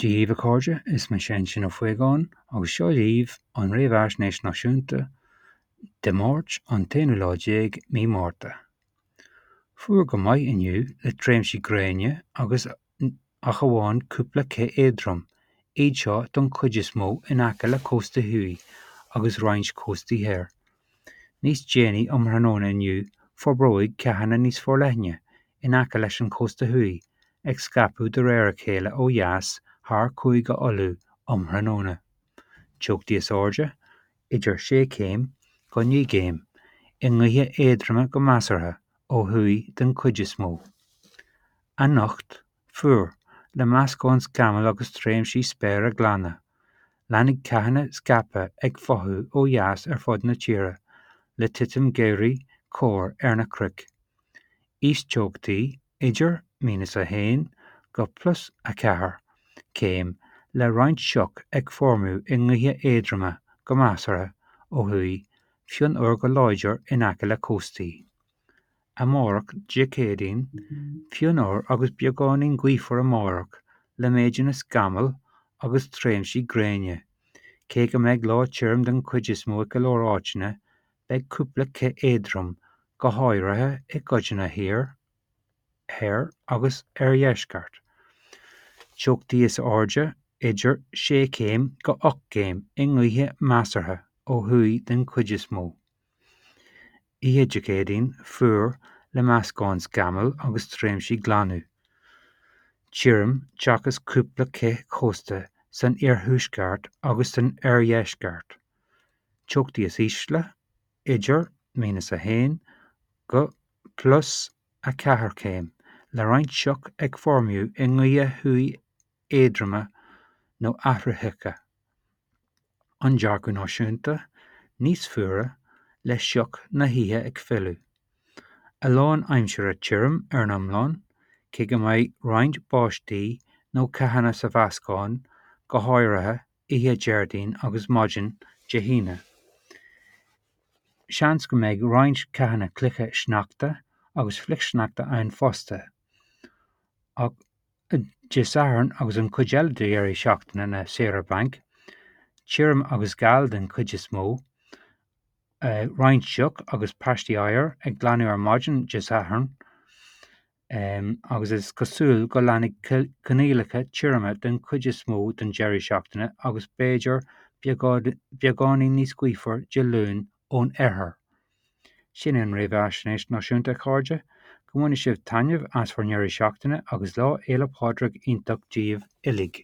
Dia dhaoibh a chairde, is mise Uinsionn Ó Faogáin agus seo dhaoibh an Réamhaisnéis Náisiúnta Dé Máirt an t-aonú lá déag mí Márta. Fuar go maith inniu le tréimhsí gréine agus ach amháin cúpla cith éadrom, iad seo don chuid is mó in aice le cósta thuaidh agus roinnt cóstaí thoir. Níos déanaí um thráthnóna inniu forbróidh ceathanna níos forleithne in aice leis an chósta thuaidh, ag scaipeadh de réir a chéile ó dheas thar Chúige Uladh um thráthnóna. Teochtaí is airde, idir 6 chéim go 9 gcéim, i ngaotha éadroma go measartha ó thuaidh den chuid is mó. Anocht, fuar, le meascán scamall agus tréimhsí spéire glaine. Leanfaidh ceathanna scaipthe ag fothú ó dheas ar fud na tíre, le titim geimhridh chorr ar na cnoic. Íosteochtaí idir minus 1 go plus 4 céim le roinnt sioc ag foirmiú i ngaotha éadroma go measartha ó thuaidh, fionnuar go láidir in aice le cóstaí. Amárach, Dé Céadaoin, fionnuar agus beagáinín gaofar amárach le méideanna scamall agus tréimhsí gréine. Cé go mbeidh lá tirim den chuid is mó i go leor áiteanna, Beidh cúpla cith éadrom, go háirithe i gcodanna thiar, thoir agus oirdheisceart. Teochtaí is airde idir 6 chéim go 8 gcéim i ngaotha measartha ó thuaidh den chuid is mó. Oíche Dé Céadaoin, fuar, le meascán scamall agus tréimhsí glanadh. Tirim seachas cúpla cith chósta san iarthuaisceart agus san oirdheisceart. Teochtaí is ísle idir minus 1 go plus 4 céim, le roinnt sioc ag foirmiú i ngaotha thuaidh éadroma nó athraitheacha. An dearcadh náisiúnta, níos fuaire, le sioc na hoíche ag filleadh. A lán aimsire tirim ar an iomlán, cé go mbeidh roinnt báistí nó ceathanna sa mheascán, go háirithe oíche Déardaoin agus maidin Dé hAoine. Seans go mbeidh roinnt ceathanna cloiche sneachta agus flichshneachta ann fosta. Ach Dé Sathairn agus an chuid eile de dheireadh seachtaine na saoire bainc, tirim agus geal den chuid is mó, roinnt sioc agus paistí oighir ag glanadh ar maidin Dé Sathairn. agus is cosúil go leanfaidh coinníollacha tirime den chuid is mó den deireadh seachtaine agus b'fhéidir beagáinín níos gaofar Dé Luain ón oirthear. Sin é an Réamhaisnéis Náisiúnta, a chairde. Go mbaine sibh taitneamh as bhur ndeireadh seachtaine agus Lá Fhéile Pádraig iontach daoibh uilig.